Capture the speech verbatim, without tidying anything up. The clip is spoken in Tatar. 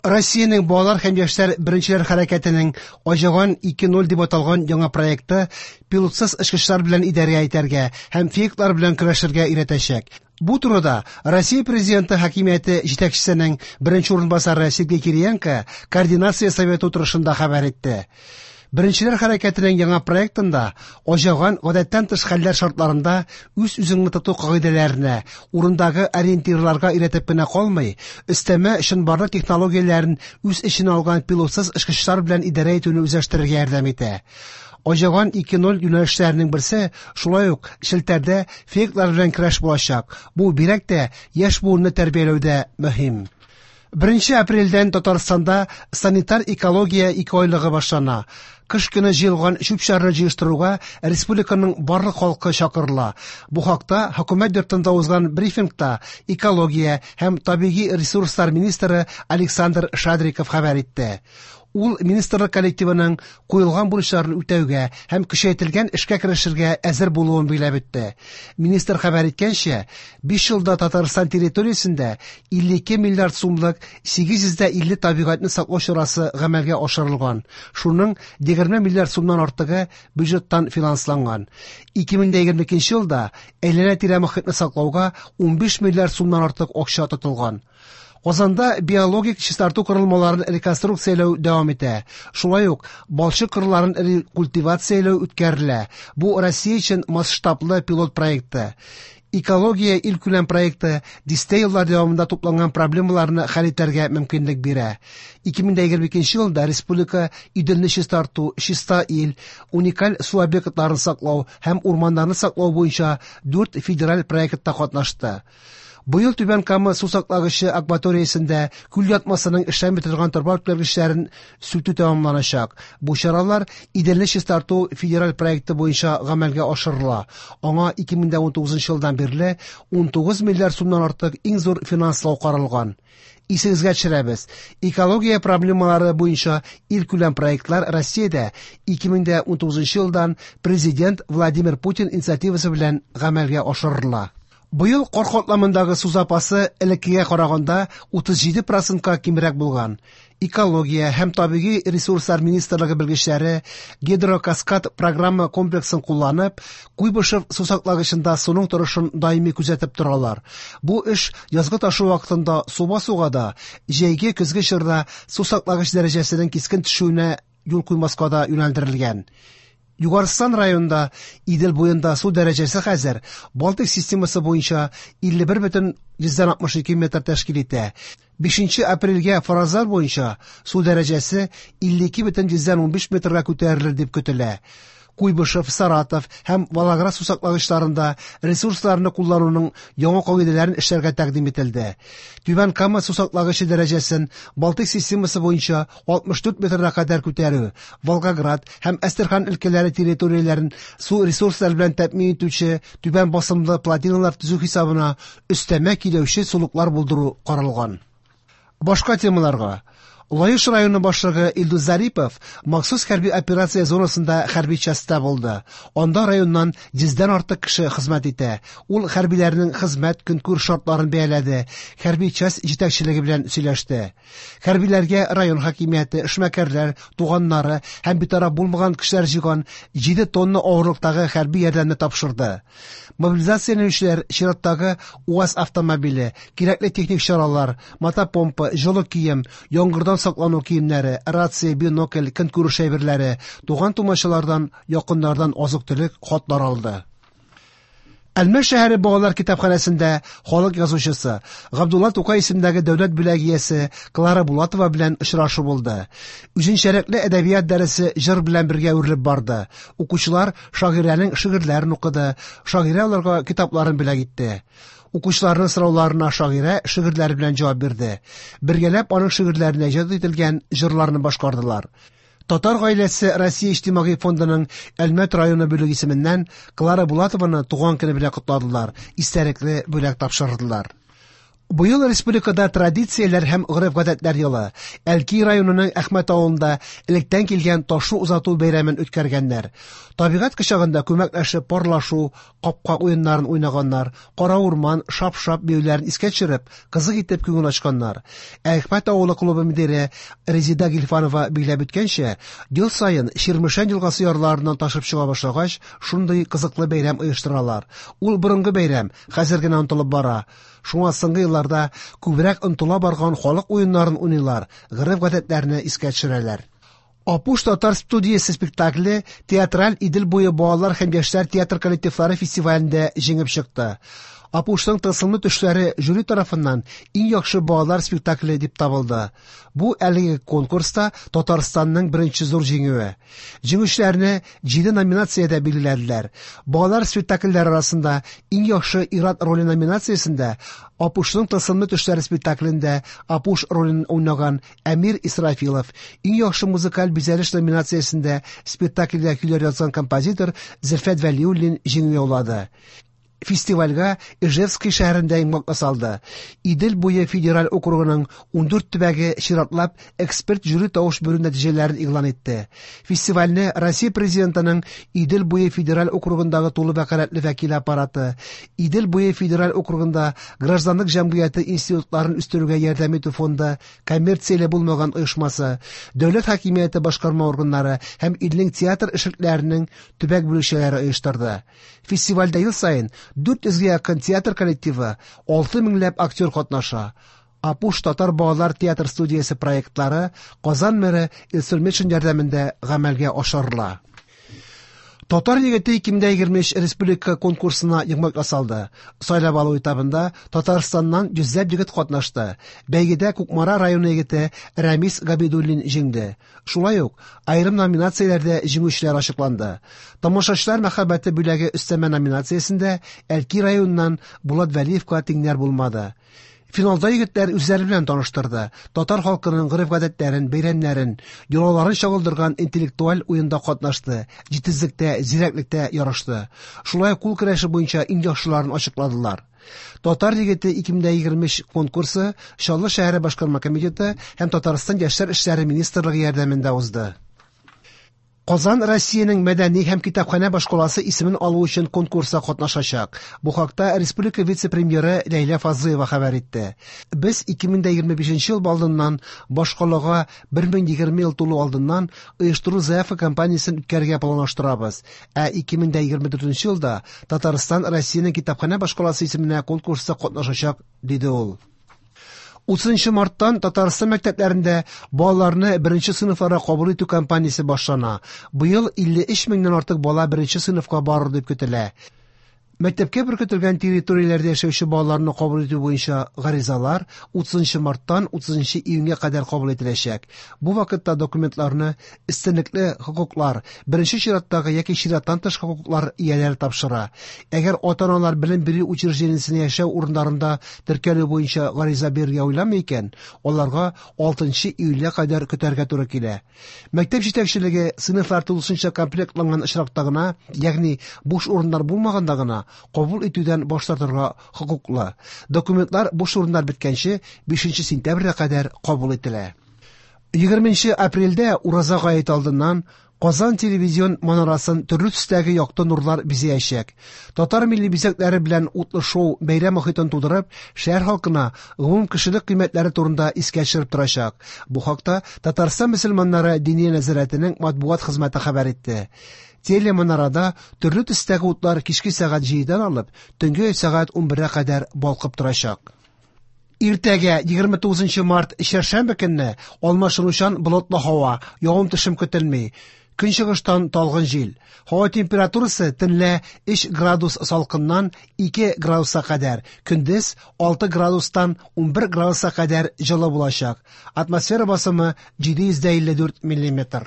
Россиянең балалар һәм яшьләр беренчеләр хәрәкәтенең Аҗаган ике ноль дип аталган яңа проекты пилотсыз очкычлар белән идарә итәргә һәм фейклар белән көрәшергә өйрәтәчәк. Бу турыда Россия Президенты хакимияте җитәкчесенең беренче урынбасары Сергей Кириенко координация советы утырышында хәбәр итте. Беренчеләр хәрәкәтенең яңа проектында Аҗаган гадәттән тыш хәлләр шартларында үз-үзеңне тоту кагыйдәләренә, урындагы ориентирларга өйрәтеп кенә калмый, өстәмә чынбарлык технологияләрен үз эченә алган пилотсыз очкычлар белән идарә итүне үзләштерергә ярдәм итә. Аҗаган ике ноль юнәлешләренең берсе шулай ук челтәрдә фейклар белән көрәш булачак. Бу бигрәк тә яшь буынны тәрбияләүдә мөһим. Беренче апрельдән Татарстанда санитар экология ике айлыгы башлана. Кыш көне җыелган чүп-чарны җыештыруга республиканың барлык халкы чакырыла. Бу хакта хөкүмәт йортында узган брифингта экология һәм табигый ресурслар министры Александр Шадриков хәбәр итте. Ул министрлык коллективының куелган бурычларын үтәүгә һәм көчәйтелгән эшкә керешергә әзер булуын билгеләп үтте. Министр хәбәр иткәнчә, биш елда Татарстан территориясендә илле ике миллиард сумлык сигез йөз дә илле табигатьне саклау чарасы гамәлгә ашырылган. Шуның егерме миллиард сумнан артыгы бюджеттан финансланган. Ике мең дә егерме икенче елда әйләнә-тирә мохитне саклауга унбиш миллиард сумнан артык акча тотылган. Казанда биологик чистарту корылмаларын реконструкцияләү дәвам итә. Шулай ук балчык кырларын рекультивацияләү үткәрелә. Бу Россия өчен масштаблы пилот проекты. Экология илкүләм проекты дистә еллар дәвамында тупланган проблемаларны хәл итәргә мөмкинлек бирә. Ике мең дә егерме икенче елда республика Иделне чистарту, чиста ил, уникаль су объектларын саклау һәм урманнарны саклау буенча дүрт федераль проектта катнашты. Быел Түбән Кама су саклагычы акваториясендә күл ятмасының эшләми торган торба үткәргечләрен сүтү тәмамланачак. Бу чаралар Иделне чистарту федераль проекты буенча гамәлгә ашырыла. Аңа ике мең дә унтугызынчы елдан бирле унтугыз миллиард сумнан артык иң зур финанслау каралган. Исегезгә төшерәбез. Экология проблемалары буенча илкүләм проектлар Россиядә ике мең дә унтугызынчы елдан Президент Владимир Путин инициативасы белән гамәлгә ашырыла. Быел кар катламындагы су запасы элеккегә караганда утыз җиде процентка кимрәк булган. Экология һәм табигый ресурслар министрлыгы белгечләре гидрокаскад программа комплексын кулланып, Куйбышев су саклагычында суның торышын даими күзәтеп торалар. Бу эш язгы ташу вакытында су басуга да, җәйге көзге чорда су саклагыч дәрәҗәсенең кискен төшүенә юл куймаска да юнәлдерелгән. Югарыстан районында Идел буенда су дәрәҗәсе хәзер Балтик системасы буенча илле бер бөтен йөздән алтмыш ике метр тәшкил итә. Бишенче апрельгә фаразлар буенча су дәрәҗәсе илле ике бөтен йөздән унбиш метрга күтәрелер дип көтелә. Куйбышев, Саратов һәм Волгоград су саклагычларында ресурсларны куллануның яңа кагыйдәләрен эшләргә тәкъдим ителде. Түбән Кама су саклагычы дәрәҗәсен Балтик системасы буенча алтмыш дүрт метрга кадәр күтәрү, Волгоград һәм Әстерхан өлкәләре территорияләрен су ресурслары белән тәэмин итүче түбән басымлы плотиналар төзү хисабына өстәмә киләүче сулыклар булдыру каралган. Башка темаларга. Лаеш районы башлыгы Илдус Зарипов махсус хәрби операция зонасында хәрби частьта булды. Анда районнан йөздән артык кеше хезмәт итә. Ул хәрбиләрнең хезмәт көнкүреш шартларын бәяләде, хәрби часть җитәкчелеге белән сөйләште. Хәрбиләргә район хакимияте, эшмәкәрләр, туганнары һәм битараф булмаган кешеләр җыйган җиде тонна авырлыктагы хәрби ярдәмне тапшырды. Мобилизацияләнүчеләр чираттагы УАЗ автомобиле, кирәкле техник чаралар, мотопомпа, җылы кием, яңгырдан саклану киемнәре, рация, бинокль, көнкүреш әйберләре, туган тумачалардан, якыннардан азык-төлек, хатлар алды. Әлмәт шәһәре балалар китапханәсендә халык язучысы Габдулла Тукай исемендәге дәүләт бүләге иясе Клара Булатова белән очрашу булды. Үзенчәлекле әдәбият дәресе җыр белән бергә үрелеп барды. Укучылар шагыйрәнең шигырьләрен укыды, шагыйрә аларга китапларын бүләк итте. Укучыларның сорауларына шагыйрә шигырьләре белән җавап бирде. Бергәләп аның шигырьләренә иҗат ителгән җырларны башкардылар. Татар гаиләсе Россия иҗтимагый фондының Әлмәт районы бүлеге исеменнән Клара Булатованы туган көне белән котладылар, истәлекле бүләк тапшырдылар. Быел республикада традицияләр һәм гореф-гадәтләр елы. Әлки районының Әхмәт авылында электән килгән ташу озату бәйрәмен үткәргәннәр. Табигать кочагында күмәкләшеп парлашу, капка уеннарын уйнаганнар, кара урман, шап-шап биюләрен искә төшереп, кызык итеп күңел ачканнар. Әхмәт авылы клубы мөдире Резида Гильфанова билгеләп үткәнчә, ел саен Чирмешән елгасы ярларыннан ташып чыга башлагач, шундый кызыклы бәйрәм оештыралар. Ул борынгы бәйрәм, хәзер генә онытылып бара. Шуңа соңгы елларда күбрәк онытыла барган халык уеннарын уйныйлар, гореф-гадәтләрне искә төшерәләр. Апуш татар студиясе спектакле театраль Идел буе балалар һәм яшьләр театр коллективлары фестивалендә җиңеп чыкты. Апушның тылсымлы төшләре жюри тарафыннан иң яхшы балалар спектакле дип табылды. Бу әлеге конкурста Татарстанның беренче зур җиңүе. Җиңүчеләрне җиде номинациядә билгеләделәр. Балалар спектакльләре арасында иң яхшы ир-ат роле номинациясендә Апушның тылсымлы төшләре спектаклендә Апуш ролен уйнаган Әмир Исрафилов, иң яхшы музыкаль бизәлеш номинациясендә спектакльгә көйләр язган композитор Зөлфәт Вәлиуллин җиңү яулады. Фестивальгә Ижевский шәһәрендә йомгак ясалды. Идел буе федераль округының ундүрт төбәге чиратлап эксперт жюри тавыш бирү нәтиҗәләрен игълан итте. Фестивальне Россия президентының Идел буе федераль округындагы тулы вәкаләтле вәкиле аппараты, Идел буе федераль округында гражданлык җәмгыяте институтларын үстерүгә ярдәм итү фонды, коммерцияле булмаган оешмасы, дәүләт хакимияте башкарма органнары һәм илнең театр эшлекләренең төбәк бүлекчәләре оештырды. Фестивальдә ел саен дүрт йөзгә якын театр коллективы, алты меңләп актер катнаша. Апуш татар балалар театр студиясе проектлары Казан мэры Илсур Метшин ярдәмендә гамәлгә ашырыла. Татар егете ике мең егерме өч республика конкурсына йомгак ясалды. Сайлап алу этабында Татарстаннан йөзләп егет катнашты. Бәйгедә Кукмара районы егете Рәмис Габидуллин җиңде. Шулай ук аерым номинацияләрдә җиңүчеләр ачыкланды. Тамашачылар мәхәббәте бүләге өстәмә номинациясендә Әлки районыннан Булат Вәлиевка тиңнәр булмады. Финалда егетләр үзләре белән таныштырды. Татар халкының гореф-гадәтләрен, бәйрәмнәрен, йолаларын чагылдырган интеллектуаль уенда катнашты, җитезлектә, зирәклектә ярышты. Шулай кул көрәше буенча иң яхшыларын ачыкладылар. Татар егете ике мең егерме өч конкурсы Чаллы шәһәре башкарма комитеты һәм Татарстан яшьләр эшләре министрлыгы ярдәмендә узды. Казан Россиянең мәдәни һәм китапханә башкаласы исемен алу өчен конкурста катнашачак. Бу хакта республика вице-премьеры Ләйлә Фазлыева хәбәр итте. Без ике мең егерме бишенче ел алдыннан башкалага бер мең егерме ел тулу алдыннан оештыру заявка кампаниясен үткәрергә планлаштырабыз. Ә ике мең егерме дүртенче елда Татарстан Россиянең китапханә башкаласы исеменә конкурста катнашачак, диде ул. Утызынчы марттан Татарстан мәктәпләрендә балаларны беренче сыйныфларга кабул итү кампаниясе башлана. Быел илле өч меңнән артык бала беренче сыйныфка барыр дип көтелә. Мәктәпкә беркетелгән территорияләрдә яшәүче балаларны кабул итү буенча гаризалар утызынчы марттан утызынчы июньгә кадәр кабул ителәчәк. Бу вакытта документларны өстенлекле хокуклар, беренче чираттагы яки чираттан тыш хокуклар ияләре тапшыра. Әгәр ата-аналар белем бирү учреждениесенә яшәү урыннарында теркәлү буенча гариза бирергә уйламый икән, аларга алтынчы июльгә кадәр көтәргә туры килә. Мәктәп җитәкчелеге сыйныфлар тулысынча комплектланган очракта гына, ягъни буш урыннар булмаганда гына кабул итүдән баш тартырга хокуклы. Документлар буш урыннар беткәнче бишенче сентябрьгә кадәр кабул ителә. Егерменче апрельдә Ураза гаете алдыннан Казан телевизион манарасын төрле төстәге якты нурлар бизәячәк. Татар милли бизәкләре белән утлы шоу бәйрәм мохитен тудырып, шәһәр халкына гомум кешелек кыйммәтләре турында искә төшереп торачак. Бу хакта Татарстан мөселманнары Диния нәзарәтенең матбугат хезмәте хәбәр итте. Телеманарада төрле төстәге утлар кичке сәгать җидедән алып, төнге сәгать унбергә кадәр балкып торачак. Иртәгә егерме тугызынчы март чәршәмбе көнне алмашынучан болытлы һава, явым-төшем көтелми. Көнчыгыштан талгын җил. Һава температурасы төнлә өч градус салкыннан ике градуска кадәр, көндез алты градустан унбер градуска кадәр җылы булачак. Атмосфера басымы җиде йөз дә илле дүрт миллиметр.